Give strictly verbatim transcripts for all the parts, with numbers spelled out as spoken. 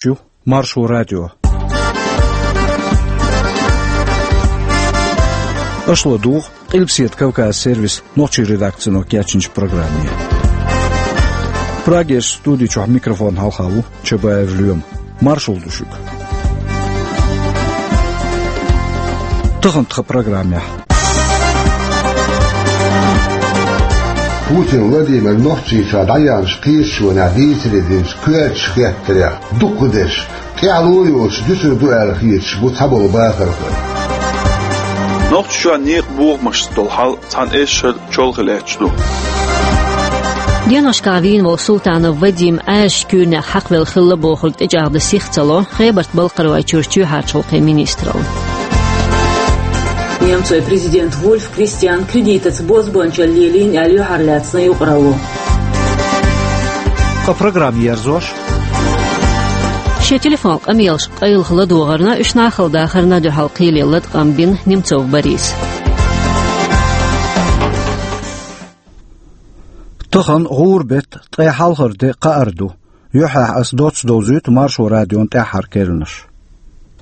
Шу Маршо радио. Аша ладугӀу Къилбаседа Кавказ сервисан нохчийн редакцино кечйинчу программе. Прагерчу студи чохь микрофон хьалха ву Чабаев Лоьма. Маршалла ду шуьга. Тахана тхан программехь. Путин Владимир Нохчийчохь дӀаяьхьначу кхеташонехь дийцаре динчу коьртачу хеттарех дукхахдерш тӀаьхьало йоцуш дуьсур ду аьлла хеташ бу цхьаболу бахархой. Нохчийчохь некъан бохамашца долу хьал цхьана эшшара чолхе лаьтташ ду. Деношкахь вийна волу Султанов Вадим Ӏаьржачу куьйранех хьакхавелла хилла бохург тӀечӀагӀдан сих ца ло Хебарт-Балкхаройчуьра чоьхьарчу гӀуллакхийн министралла. Немцойн президент Вульф Кристиан кредитаца бозбуунчалла лелийна аьлла юьхьарлаьцна юкъаралло. Ткъа программа ерзош. Шен телефон къамелаш къайлаха ладогӀарна, уьш нахала дахарна дуьхьал кхеле латкъам бина Немцов Бориса. Тахана гӀуран беттан ткъе хьалхара де, кхаара ду. Юьххьехь аса доцца довзуьйту Маршо радион тӀаьххьара керланаш.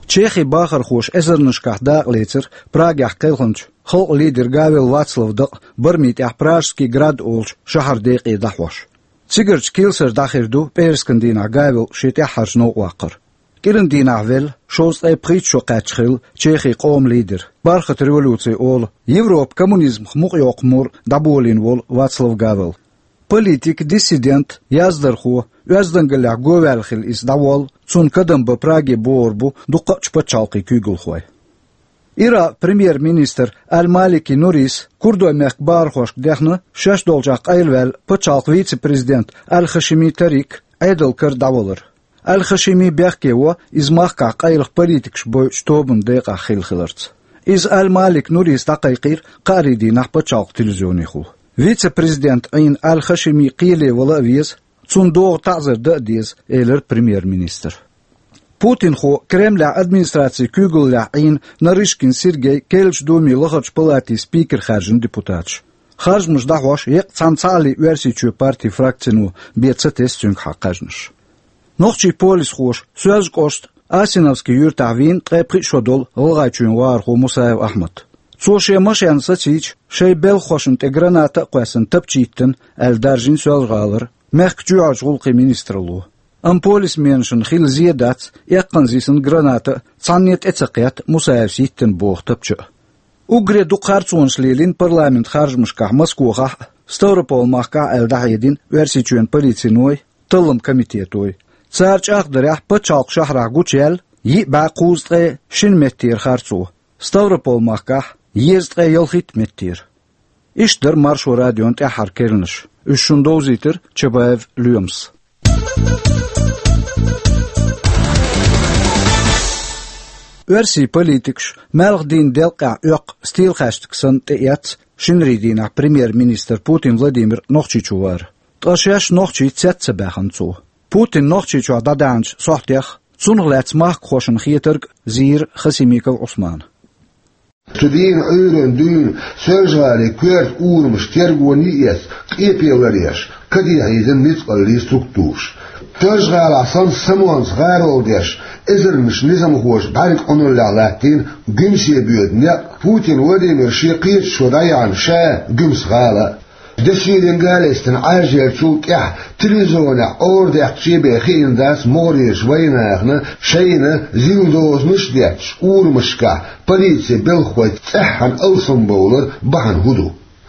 Чехин бахархоша эзарнашкахь дакъалецира Прагехь кхелхинчу халкъан лидеран Гавел Вацлаван дакъа барамийн тӀехь Пражский град олучу шахьаран декъе дӀахьош. Цигарчу килсара дӀахир ду пӀераскан дийнахь Гавел шен тӀаьххьарчу новкъа ваккхар. КӀиран дийнахь велла, шовзткъе пхийтта шо кхаьчна хилла Чехин къоман лидер, бархӀ революци олу, Европа коммунизмах мукъайоккху мур дӀаболийна волу Вацлав Гавел. Политик, диссидент, яздархо, оьздангаллехь го ваьлла хилла иза дӀаволла, цунна кадам бан Праге богӀур бу дуккха а чу пачхьалкхийн куьйгалхой. Иракъан премьер-министр Аль-Малики Нурис курдойн мехкан бахархошка дехна, шаьш долчохь къайлаваьлла пачхьалкхан вице-президент Аль-Хашими Тарик Ӏедалан кара дӀавалар. Аль-Хашими бехке во, иза махкахь къайлаха политикаш бойучу тобанан декъахь хилла хиларца. Иза Аль-Малик Нурис дӀакхайкхийра кхаарин дийнахь пачхьалкхан телевизионехула. Вице-президентан Ӏийна Аль-Хашими кхеле вала а веза, цунна догӀу таӀзар дан а деза, элира премьер-министра. Путинхо Кремлехь администрацин куьйгаллехь Ӏийна Нарышкин Сергей керлачу Думин лахарчу палатин спикер хаьржина депутаташ. Харжамаш дӀахьош еккъа цхьана цхьааллин Оьрсийчоь партин фракцино бен ца тесна цуьнгахьа кхаьжнаш. Нохчийн полисхоша Соьлжа-кӀоштан Асиновский юьртахь вийна ткъе пхиъ шо долу ГӀалгӀайчоьнан вахархо Мусаев Ахьмад. Цо шен машен сацийча, шайн белхахошна тӀе граната а кхоьссина тапча йиттина, аьлла даржийна Соьлжа-ГӀалара мехкан чоьхьарчу гӀуллакхийн министралло. Амма полисменашна хилла зен дац, эккханза йисина граната а цхьанне тӀе ца кхетта Мусаевс йиттина боху тапча а. Уггаре дукха харцонаш лелийна парламентан харжамашкахь Москохахь а, Ставрополан махкахь а аьлла дӀахьедина Оьрсийчоьнан полициной, талламан комитетой. Цара чӀагӀдарехь, пачхьалкхан шахьарахь гучуяьлла йиъ бӀе кхузткъе шина меттера харцо, Ставрополан махкахь езткъе ялхитта меттера. Иштта дара Маршо радион тӀаьххьара керланаш. Уьш шуна довзийтира Чабаев Лоьмас. Оьрсийн политикаш малхбузийн делкъехь оьккху стийлахаьштаг санна тӀеэцна шинарин дийнахь премьер-министр Путин Владимир Нохчийчу вар. Ткъа шаьш нохчий цец ца баьхна цо. Путин Нохчийчохь дӀадаьхьначу сохьтех, цунах лаьцна махкахошна хетарг а зийра Хасимиков Ӏусмана. Цу дийнан Ӏуьйранна дуьйна Соьлжа-ГӀалин коьрта урамаш тергоне а эцна, къепе ларъеш, каде хьийзина ницкъаллийн структураш. Соьлжа-ГӀалахь санна самонца гӀаролла деш, эзарнаш низамхоша бӀаьрг Ӏуналлехь латтийна гуьмсе боьду некъ Путин Владимира шен кхеташо дӀаяьхьна ша, Гуьмсан гӀала а. Деширийн гали йистина Ӏаьржъеллачул тӀаьхьа телевизионехь ора даьккхича бен хиъна дац могӀарерчу вайнахана шайна зил дозанаш а детташ урамашкахь полицин белхахойн цӀеххьана алсамбовлар бахьана хӀун ду.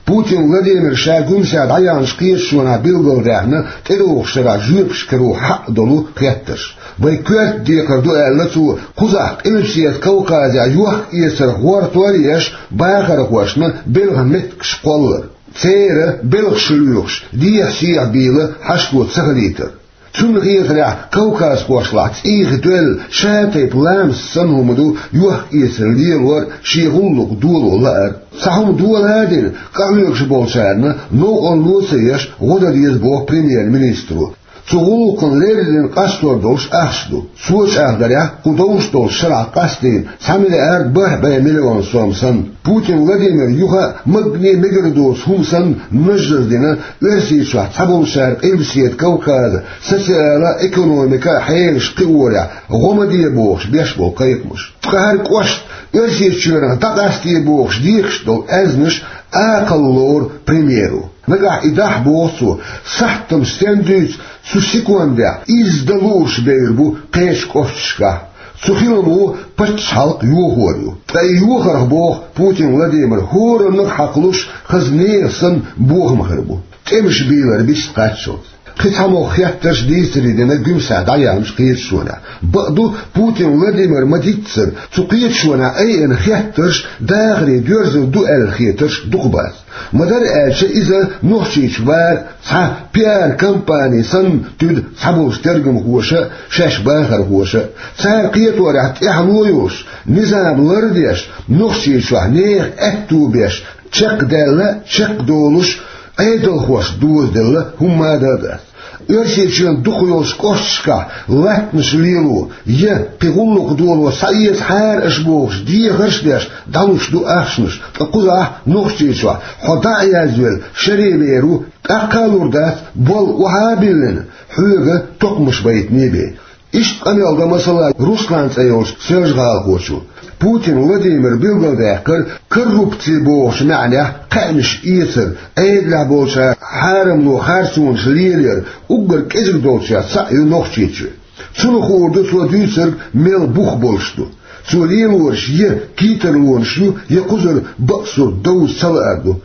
Путин Владимира ша Гуьмсехь дӀаяьхьначу кхеташонехь билгалдаьхна тӀедогӀучу шарахь жоьпаш каро хьакъ долу хеттарш. Вайн коьрта декхар ду аьлла цо, кхузахь Къилбаседа Кавказехь йохк-эцар гӀортор а еш, бахархошна белхан меттигаш кхоллар. Церан белхаш лоьхуш, дехьа-сехьа бийла хьашто ца хилийтар. Цунна хетарехь, кавказхошлахь цӀийх доьлла ша-тайпа ламаст санна хӀума ду йохк-эцар лелор а, шен гӀуллакх доло лаар а. Цхьа хӀума дола а дина, къахьоьгуш болчарна новкъарло ца еш гӀо дан деза боху премьер-министро. Цу гӀулакхана леррина къастор долуш ахча ду. Цо чӀагӀдарехь, кху довш долчу шарахь къастийна цхьа миллиард бархӀ бӀе миллион сом санна. Путин Владимир юха а магане мегар доцу хӀума санна наждаз дина Оьрсийчохь цхьаболчара Къилбаседа Кавказан социал-экономикан хьелаш кхиорехь гӀо ма де бохуш беш болу кхайкхамаш. Ткъа хӀара кӀошт Оьрсийчоьнах дӀакъасте бохуш дехаш долу аьзнаш акхалла лору премьеро. Нагахь и дахь, боху цо, сахьтана стен дуьйцу, цу секундехь изза дан лууш бевр бу кхечу кӀошташкахь. Цу хиламо пачхьалкх йохор ю. Ткъа и йохарх, боху Путин Владимир, хӀораннах хьакхалуш хаза нехан санна бохам хир бу. ТӀемаш бийлар бист кхаччалц. Кхин цхьа могӀа хеттарш, дийцаре дина Гуьмсехь дӀаяьхьначу кхеташонехь. Бакъду, Путин Владимир ма-дийццара, цу кхеташонехь айина хеттарш дахаре доьрзур ду аьлла хетарш дукха бац. Ма-дарра аьлча, иза Нохчийчу вара цхьа пиар-компани санна туьду цхьаболчу тергамхоша а, шаьш бахархоша а. Цара кхеторехь тӀаьхьало йолуш, низам лардеш, Нохчийчохь нехан аьтту беш, чекхдаьлла а, чекхдолуш, Ӏедалхошна дозаделла хӀумма а дан а дац. Оьрсийчоьнан дукхах йолчу кӀошташкахь латтанаш лело я кхин гӀуллакх доло схьаэцахьара аша бохуш дехарш а деш, дӀалуш ду ахчанаш, ткъа кхузахь Нохчийчохь хьо дӀа а язвелла, шаре вер ву, тӀаккха а лур дац, болх охьа а биллина, хьоьга токхамаш байтине бен. Иштта къамел до, масала, Руслан цӀе йолчу соьлжа-гӀалахочо. Путин Владимира билгалдаьккхира коррупци бохучу маьӀнехь кхаьънаш эцар, Ӏедалехь болчара хьарамло харцонаш лелаяр, уггар кӀезиг долчех цхьаъ ю Нохчийчоь. Цунах хуур ду цо дуьйцург мел бух болуш ду. Цо лелораш я кийттарлонаш ю, я кхузара бакъ сурт довза ца лаар ду.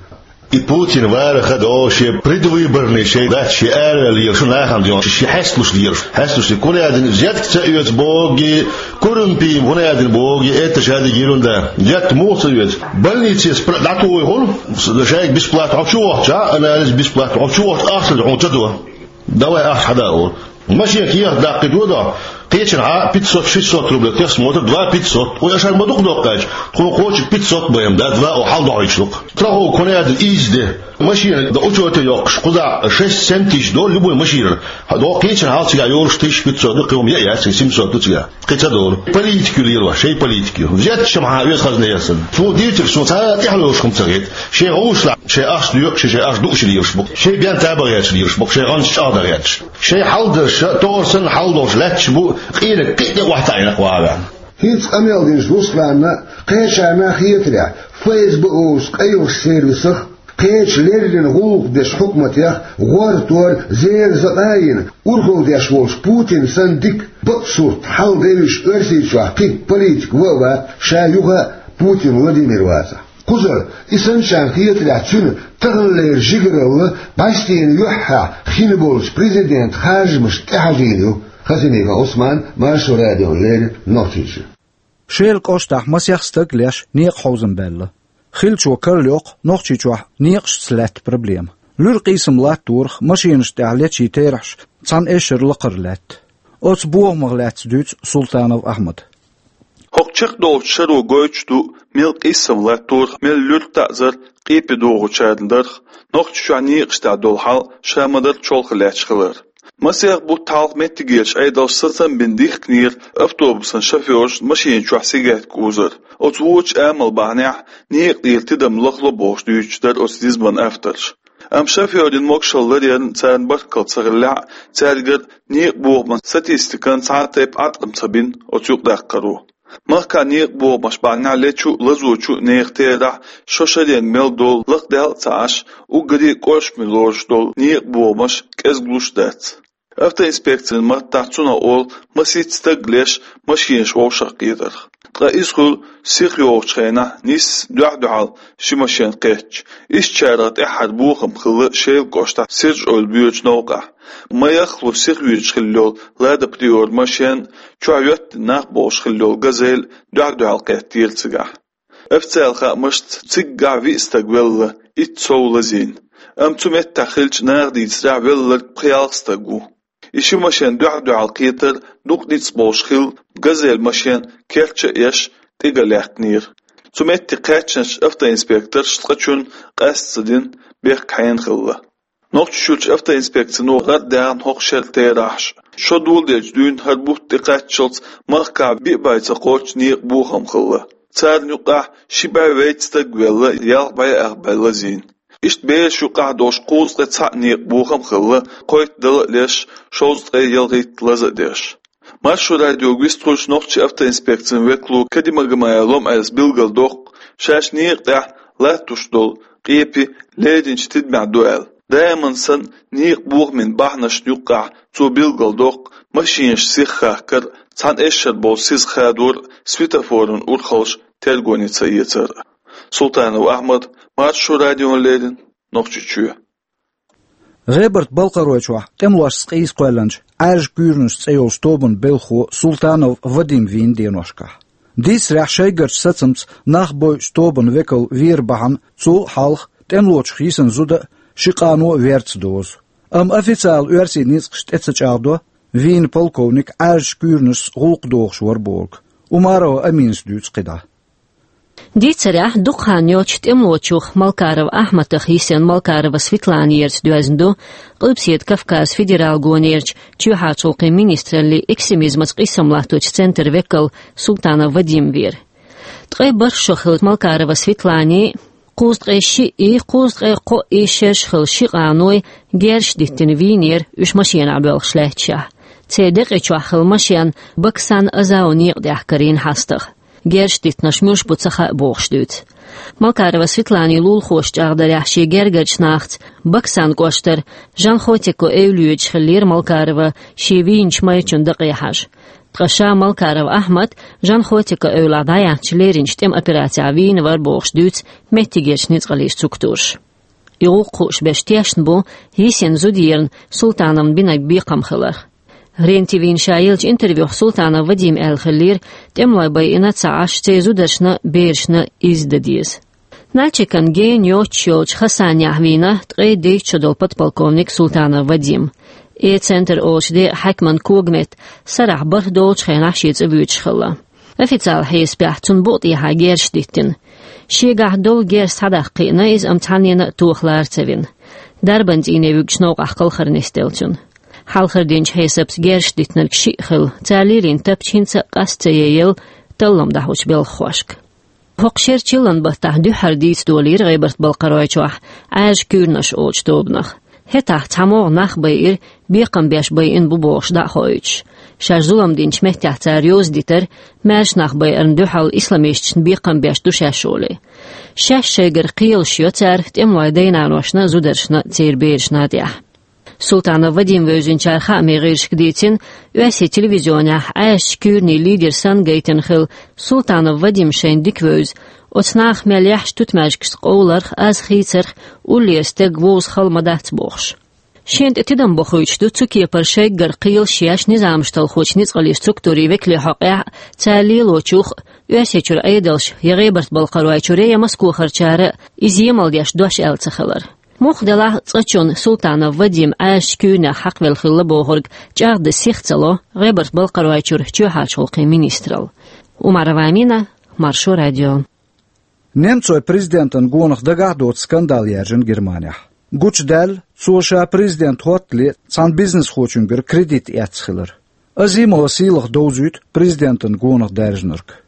И Путин варах а до, шен предвыборный шайн дац, шен араваьлла лелаш ву нахана ден, шен хьесталуш лелаш. Хьесталуш, кхунна аьлла, взятка ца оьцу боху, коррумпи, кхунна аьлла боху, это же ерунда. Взятка муха ца оьцу? Больницех пра-, дӀатухуш хуьлу, шайга бесплатно хьо чу вахча, анализ бесплатно хьо чу вахча, ахча хьуна ца до. Давай ахча хьада олу. Машина кехат даккхийта дохьа, кхечанхьа пятьсот-шестьсот рублей техосмотр, два пятьсот. Ой, аша ма дукха доккхаьча, тхуна кхочу пятьсот бен, да, два о хьал дохьуьйтуш ду-кх. Страховка кхунна аьлла изза де. Машина дан учёте йоккхуш, кхузахь шесть-семь тысяч долу любой машинара. Хьо до кхечанхьа цигахь йолуш тысяча пятьсот ду, кхин хӀума яа яц, семьсот ду цигахь. Кхин ца долу. Политика ю лелош, шайн политика ю. Взятка чамхьа оьцу хазна ясана. Цо дийцарг суна цхьа а тӀаьхьалуш хӀума ца хета. Шайн гӀушлахь, шайн ахча доькъуш, шайн ахча дууш лелаш бу. Шайн бен таба гӀерташ лелаш бу, шайн гӀанташ чӀагӀдан гӀерташ. Шайн хьал дерш, тохар санна хьал долуш лаьтташ бу, къинаг кхин а тӀе охьатаӀийна кху агӀор. ХӀинца къамел динчу Русланна, кхечарна хетарехь, ФСБ олучу къайлахчу сервисах, кхечу леррина гӀуллакх дечу хьукматех гӀортор зерза къайина, урхалла деш волчу Путин санна дика, бакъ сурт хьал девзаш Оьрсийчохь кхин политик ва а вац, ша юха а Путин Владимир вацахь. Кхузара, и санначарна хетарехь, цуьнан таханлера жигаралла бӀаьстенан юьххьехь хин болчу президентан харжамашна тӀехьажийна ю. Хасимиков Ӏусман, Маршо радиона леррина, Нохчийчуьра. Шелан кӀоштахь масех стаг леш некъахьовзам баьлла. Хиллачо карла йоккху Нохчийчохь некъашца лаьтта проблема. Луьра къийсам латторах, машинашна тӀехь лечийн терахьаш цхьана эшшара лакхара лаьтта. Оцу бохамах лаьцна дуьйцу Султанов Ахьмада. ХӀокху чекхдолчу шаро гойтуш ду, мел къийсам латторах, мел луьра таӀзар къепе догӀучарна дарх, Нохчийчохь некъашна тӀехь долу хьал ша ма-дарра чолхе лаьтташ хилар. Масех бутт хьалха меттигерчу Ӏедалша сацам бина дихкинера автобусан шофёрашна машина чохь сигарет кӀузар. Оцу вочу амал бахьанехь некъа тӀера тидам лахло бохуш дуьйцуш дара оцу низаман авторша. Амма шофёрийн могушалла ларъярна царна баркалла ца хиллехь а, цаьргара некъан бохаман статистикана цхьа а тайпа Ӏаткъам ца бина оцу юкъадаккхаро. Махкахь некъан бохамаш бахьанехь лечу а, лазочу а нехан терахь шо шаренга мел долу лакхадаьлла а ца Ӏаш, уггаре а кӀоршаме лоруш долу некъан бохамаш кӀезиглуш а дац. Автоинспекцин маттахь цунах олу масийтта стаг леш машинаш вовшахкхетарх. Ткъа иза хуьлу сиха йогӀучу хенахь, нийсса дуьхь-дуьхьал ши машен кхеттача. Ишттачарах тӀаьххьара бохам хилла Шелан кӀоштахь Сирж-Эвла боьдучу новкъахь. Ма яхлу сиха вуьйцуш хилла йолу Лада Приора машен а, чохь йоьттина нах болуш хилла йолу Газель а дуьхь-дуьхьал кхеттера цигахь. Официалан хаамашца, циггахь виъ стаг велла, итт сов лазийна. Амма цу меттехь хиллачу наха дийцарехь, велларг пхи-ялх стаг ву. И ши машен дуьхь-дуьхьал кхетар дукха ницкъ болуш хилла, Газель машен керча а еш, тӀе ган лаьхкинера. Цу метте кхаьчначу автоинспекторша цкъачунна къаста ца дина, бехк хьенан хилла. Нохчийчуьрчу автоинспекцино гӀардаьхна хӀокху шеран терахьаш. Шо доладелчу дуьйна хӀара бутт тӀекхаччалц махкахь биъ бӀе ца кхоччу некъан бохам хилла. Царна юкъахь ши бӀе вейтта стаг велла, ялх бӀе ах бӀе лазийна. Иштта бераш юкъахь долуш кхузткъе цхьаъ некъан бохам хилла, кхойтта дала а леш, шовзткъе ялхитта лаза а деш. Маршо радиога вистхуьлуш нохчийн автоинспекцин векало Кадимагомаев Лом-Ӏелас билгалдоккху, шаьш некъа тӀехь латтош долу къепе леринчу тидамехь ду аьлла. Даиман санна, некъан бохамийн бахьанашна юккъехь цо билгалдоккху машинаш сиха хахкар а, цхьана эшшара болу сиз хадор а, светофоран урхаллаш тергоне ца эцар а. Султанов Ахьмад, Маршо радиона леррина, Нохчийчоь. ГӀебарта-Балкхаройчохь тӀемалошца къийса кхоьллинчу «Ӏаьржа куьйранаш» цӀе йолчу тобанан белхахо Султанов Вадим вийна деношкахь. Дийцарехь, шайгарчу сацамца нах бойучу тобанан векал вер бахьана цул а хьалха тӀемалочух йисина зуда а, ши къано а верца дозу. Амма официалан оьрсийн ницкъаша тӀе ца чӀагӀдо, вийна полковник Ӏаьржачу куьйранашца гӀуллакх дохуш вара бохург. Умарова Аминас дуьйцу кхидӀа. Дийцарехь, дукха хан йоццуш тӀемалочух Малкаров Ахьмадах йисина Малкарова Светлана ерца доьзна ду Къилбаседа Кавказан федералан гонерчу чоьхьарчу гӀуллакхийн министраллин экстремизмаца къийсам латточу центран векал Султанов Вадим вер. Ткъе бархӀ шо хилла Малкарова Светланий, кхузткъе шиъ и, кхузткъе кхоъ и шераш хилла ши къаной герзаш диттина вийнера уьш машенахь боьлхуш лаьтташехь. Церан декъий чохь хилла машен Баксан Азау некъа тӀехь карийна хьастагӀа. Герзаш диттинарш муьлш бу ца хаьа бохуш дуьйцу. Малкарова Светланин лулахоша чӀагӀдарехь, шен гергарчу нахаца Баксан кӀоштара Жанхотико эвла йоьдуш хиллера Малкарова шен вийначу майрачун дакъе хьажа. Ткъа ша Малкаров Ахьмад Жанхотико эвлахь дӀаяьхьначу леринчу тӀеман операцехь вийна вара бохуш дуьйцу меттигерчу ницкъаллин структураша. И гӀуллакх хууш берш тешна бу йисина зуда ерна Султановна бинарг бекхам хиларх. РЕН-ТВ-на ша еллачу интервьюхь Султанов Вадима аьлла хиллера, тӀемалой байина ца Ӏаш, церан зударшна а, берашна а иза дан деза. Нальчикан гена йоццуш йолчу Хасанехь вийна ткъе дейтта шо долу подполковник Султанов Вадим. «Э-центр» олучу декъан хьаькаман когаметта сарахь бархӀ долчу хенахь шен цӀа воьдуш хилла. Официалан хьесапехь цунна букъа тӀехьа герзаш диттина. Шегахь долу герз схьадаккха кхиъна иза, амма цхьаннена а тохалара ца вина. Дарбан цӀийне вуьгучу новкъахь кхалхар нисделла цуьнан. Хьалхара динчу хьесапца герзаш диттинарг шиъ хилла, цара лелийна тапча хӀинца а къаста ца яйъелла таллам дӀахьочу белхахошка. ХӀокху шеран чиллан баттахь дуьххьара дийца долийра ГӀебарта-Балкхаройчохь «Ӏаьржа куьйранаш» олучу тобанах. ХӀетахь цхьа могӀа нах байира, бекхам беш байина бу бохуш дӀа а хоуьйтуш. Шаьш зулам динчу меттехь цара йовза дитар, маьрша нах байарна дуьхьал исламисташна бекхам беш ду шаьш олий. Шаьш шайгара кхелаш йо цара тӀемалойн дай-наношна а, зударшна а, церан берашна а тӀехь. Султанов Вадим вевзинчара хаамийн гӀирсашка дийцина, оьрсийн телевизионехь Ӏаьржачу куьйранийн лидер санна гайтина хилла Султанов Вадим шайна дика вевза, оцу наха мел яхьаш тутмаьжгашца къовларх, аз хийцарх уллера стеган вовза хала ма дац бохуш. Шена тӀе тидам бохуьйтуш ду цу кепара шайггара кхелаш еш низамаш талхочу ницкъаллин структурийн векалийн хьокъехь а, цара лелочух а, Оьрсийчуьра Ӏедалша я ГӀебарта-Балкхаройчуьра, я Москохарчара а иза емал деш дош аьлла ца хилар. Муха делахь а, цкъачунна Султанов Вадим Ӏаьржачу куьйранех хьакхавелла хилла бохург чӀагӀдан сиха ца ло ГӀебарта-Балкхаройчуьра чоьхьарчу гӀуллакхийн министралла. Умарова Амина, Маршо радио. Немцойн президентан гонах дагахь а доцу скандал яьржина Германехь. Гучудаьлла цо ша президент хӀоттале цхьана бизнесхочуьнгара кредит эцна хилар. Азимова Сийлаха довзуьйту президентан гонах даьржинарг.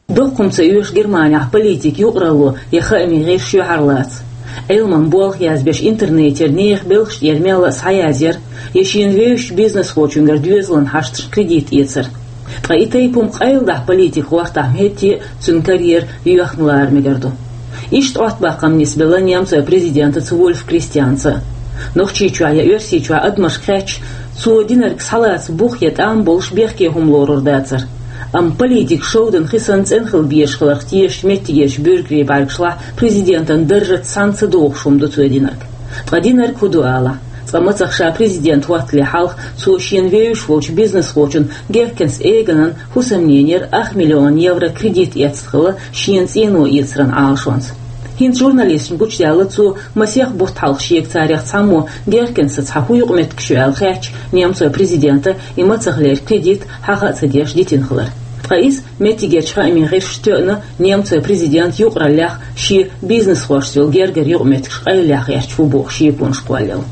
Доккха хӀума ца оьшу Германехь политикан юкъаралло я хаамийн гӀирсаш шоьхьарлаца. Ӏилманан болх язбеш интернетера нехан белхаш тӀера мелла а схьаязъяр, я шена вевзачу бизнесхочуьнгара доьзалан хьашташна кредит эцар. Ткъа и тайпа хӀума къайладахь политикан гӀортахь ма хӀиттий а цуьнан карьера йоьхна лара мегар ду. Иштта Ӏоттабаккхам нисбелла немцойн президентаца Вольф Кристианца. Нохчийчохь я Оьрсийчохь адамашка хаьттича, цо динарг схьалаца бух я тӀам болуш бехке хӀума лорур дацара. Амма политикан шовдан хи санна цӀена хила безаш хиларх тешачу меттигерчу буьргарийн бӀаьргашлахь президентан даржаца цхьаьна ца догӀуш хӀума ду цо динарг. Ткъа динарг хӀун ду алахь? Цкъа мацах ша президент хӀоттале хьалха цо шена вевзаш волчу бизнесхочун Геркенс Эганан хӀусамненера ах миллион евро кредит эцна хилла шена цӀено эцаран Ӏалашонца. ХӀинца журналисташна гучудаьлла цо масех бутт хьалха шега царех цхьаммо Геркенсаца хьан хӀун юкъаметтигаш ю аьлла хаьттича, немцойн президента и мацахлера кредит хьаха а ца деш дитина хилар. Ткъа иза меттигерчу хаамийн гӀирсаша тоьъна немцойн президент юкъараллех шен бизнесхошца йолу гергара юкъаметтигаш къайлаха гӀерташ ву боху шеконаш кхоллаелла.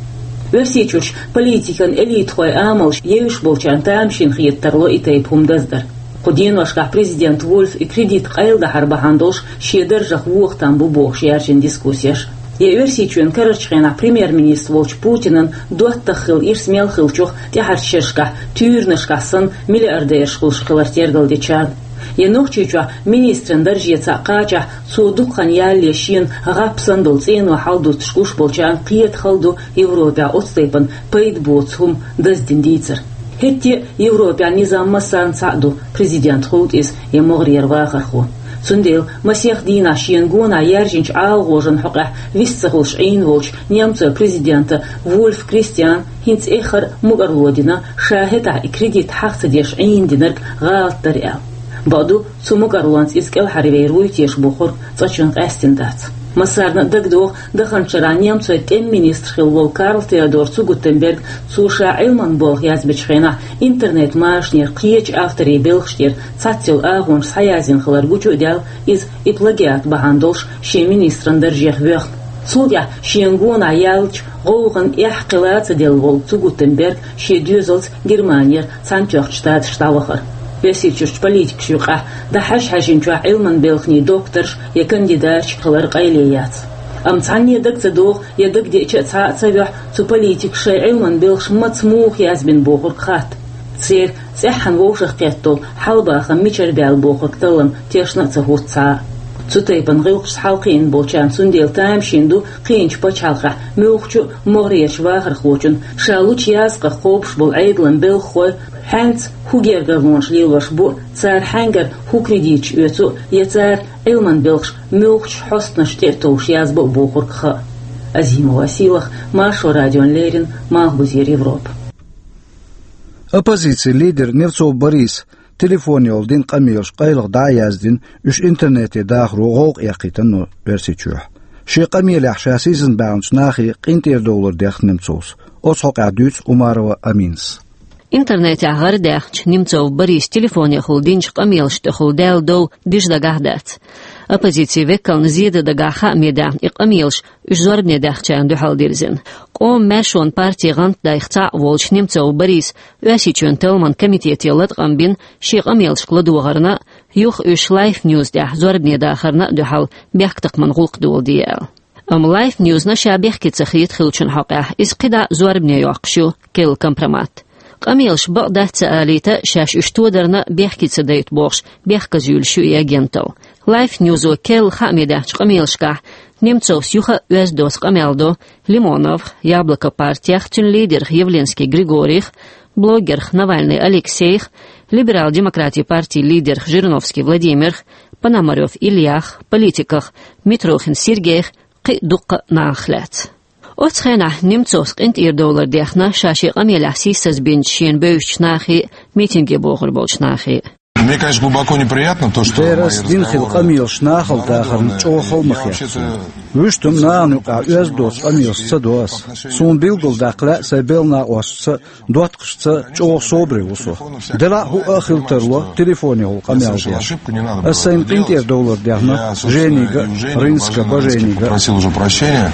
Оьрсийчуьрчу политикан элитахойн амалш евзаш болчарна тамашийна хета тарло и тайпа хӀума даздар. Кху деношкахь президент Вольф и кредит къайладахьар бахьана долуш шен даржах вуха там бу бохуш яьржина дискуссеш. Я Оьрсийчоьнан карарчу хенахь премьер-министр волчу Путинан доттагӀа хилла ирс мел хиллачух тӀаьхьарчу шерашкахь туьйранашкахь санна миллиардераш хуьлуш хилар тергалдечарна. Я Нохчийчохь министран дарже цхьаъ кхачахь, цо дукха хан ялале шена гӀап санна долу цӀено хьалдуттуш гуш болчарна кхета хала ду Европехь оцу тайпана пайда боцу хӀума даздина дийцар. ХӀетте а Европехь низам массарна цхьаъ ду, президент хуьлда иза я могӀарера вахархо. Цундела масех дийнахь шена гонахь яьржинчу ӀалагӀожанна хьокъехь вист ца хуьлуш Ӏийна волчу немцойн президента Вольф Кристиана хӀинца эххар а мукӀарло дина, ша хӀетахь и кредит хьаха ца деш Ӏийна динарг гӀалат дара аьлла. Бакъду, цу мукӀарлонца иза кӀелхьарвер вуй теша бохург цкъачунна къаьстина дац. Массарна а дагадогӀу, даханчу шарахь немцойн тӀеман министр хилла волу Карл Теодор Цугутенберг, цо ша Ӏилманан болх язбечу хенахь интернет-машанера кхечу авторийн белхаш тӀера цхьацца йолу агӀонаш схьаязйина хилар гучу а даьлла, иза и плагиат бахьана долуш шен министран даржех воьхна. Цул тӀаьхьа шена гонахь яьллачу гӀовгӀанан эхь кхин ла ца делла волу Цугутенберг шен доьзалца Германера Цхьаьнатоьхначу Штаташка дӀавахара. Оьрсийчуьрчу политикаша юкъахь дӀахьажа-хьаьжначохь Ӏилманан белханийн докторш я кандидаташ хилар къайле яц. Амма цхьанне дага ца догӀу, я дагадеъча а цхьа а ца воьху, цу политикаша шайн Ӏилманан белхаш маца муха язбина бохург хатта. Церан цӀеххьана вовшахкхетта долу хьалабахам мичара баьлла бохург таллам тешна а ца хӀутту цхьа а. Цу тайпана гӀиллакхашца хьалакхиъна болчарна цундела тамашийна ду кхиъначу пачхьалкхехь муьлххачу а могӀарерчу вахархочун, ша лучу язкъах кхобуш болу Ӏедалан белхахой хьаьнца хӀун гергарлонаш лелош бу, цара хьаьнгара хӀун кредиташ оьцу, я цара Ӏилманан белхаш муьлххачу хьостанашна тӀе а товш язбо а бохург хаа. Азимова Сийлаха, Маршо радиона леррина, Малхбузера Европа. Оппозицин лидер Немцов Борис телефонехула дина къамелаш къайлаха дӀа а яздина, уьш интернете дахаро гӀовгӀа эккхийтина Оьрсийчохь. Шен къамелехь ша сийсазбаьхначу нахе къинтӀера довлар дехна Немцовс. Оцу хьокъехь дуьйцу Умарова Аминас. Интернетехь гӀарадаьхначу Немцов Борис телефонехула динчу къамелашна тӀехула даьлла дов дижа дагахь дац. Оппозицин векална зеда дагахь хааме даьхна и къамелаш, уьш зорбане даьхначарна дуьхьал дирзина. Къоман маьршонан партин гӀантдайх цхьаъ волчу Немцов Бориса Оьрсийчоьнан талламан комитете латкъам бина шен къамелашка ладогӀарна а, юха уьш Life News тӀехь зорбане дахарна а дуьхьал бехктакхаман гӀуллакх доладе аьлла. Амма Life News-на ша бехке ца хета хиллачун хьокъехь, иза кхидӀа а зорбане йоккхуш ю, керла компромат. Къамелаш бакъ дац ца алийта а, шаьш уьш тодарна а бехке ца дайта бохуш, бехказа юьйлуш ю и агенталла. Life News-о керла хааме даьхначу къамелашкахь Немцовс юха а оьзда доцу къамел до Лимоновх, Яблоко партех, цуьнан лидерх Явлинский Григорийх, блогерх Навальный Алексейх, Либерал-демократийн партин лидерх Жириновский Владимирх, Пономарёв Ильях, политиках Митрохин Сергейх, кхин а дуккха а нахах лаьцна. Оцу хенахь Немцовс къинтӀера довлар дехна ша шен къамелехь сийсазбинчу шена бевзачу нахе а, митинге богӀур болчу нахе а. Мне, конечно, глубоко неприятно то, что Дера, ас дина хилла къамелаш нахала дахарна чӀогӀа хала ма хета суна. Вуьшта-м нахана юкъахь оьзда доцу къамелаш ца до ас. Суна билгалдаккха лаьа сайн белхан накъосташца, доттагӀашца чӀогӀа собаре ву со. Делахь а хӀуъа а хила тарло телефонехула къамел деш. Ас сайна къинтӀера довлар дехна Женига а, Рынска Баженига а. Просил уже прощения.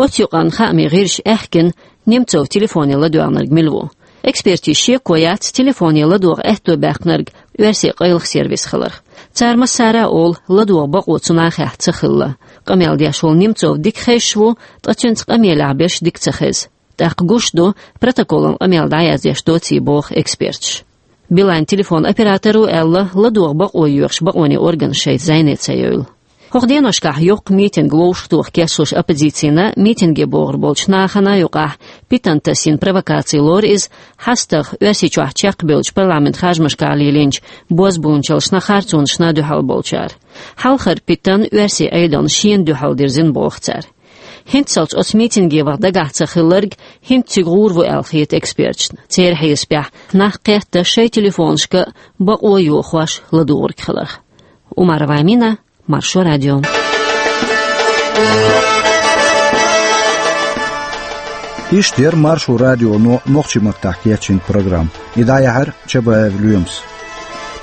Оцу юкъанна хаамийн гӀирсаша аьхкина, Немцов телефоне ладоьгӀнарг мила ву. Экспертийн шеко яц телефоне ладогӀа аьтто баьккхинарг оьрсийн къайлаха сервис хиларх. Цара массара а олу, ладогӀа бакъо цу нахехь ца хилла. Къамел деш волу Немцов дика хезаш ву, ткъа цуьнца къамелехь берш дика ца хеза. ТӀаккха гуш ду, протоколан къамел дӀаяздеш доций, боху эксперташа. Билайн телефон операторо аьлла, ладогӀа бакъо йоьхуш бакъонийн органаш шайца зӀене ца йойла. ХӀокху деношкахь йоккха митинг вовшахтоха кечлуш оппозицина, митинге богӀур болчу нахана юкъахь Питантас йина провокаци лору иза, хьастагӀа Оьрсийчохь чекхбевллачу парламентан харжамашкахь лелийначу бозбуунчаллашна, харцонашна дуьхьал болчара. Хьалхара Питан оьрсийн Ӏедална шена дуьхьал дирзина, боху цара. ХӀинццалц оцу митинге ваха дагахь ца хилларг хӀинца цига гӀур ву аьлла хета эксперташна. Церан хьесапехь, нах кхетта шайн телефонашка бакъо йохош ладугӀург хиларх. Умарова Амина, Маршо радио. Иштта яра Маршо радионо нохчийн маттахь кечйина программа. И дӀаяьхьира Чабаев Лоьмас.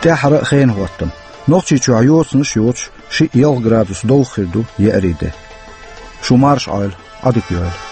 ТӀаьххьара хенахӀоттам. Нохчийчохь йоцанаш йоцуш шиъ-ялх градус довха хир ду еарин де. Шу марша Ӏойла, Ӏадика йойла.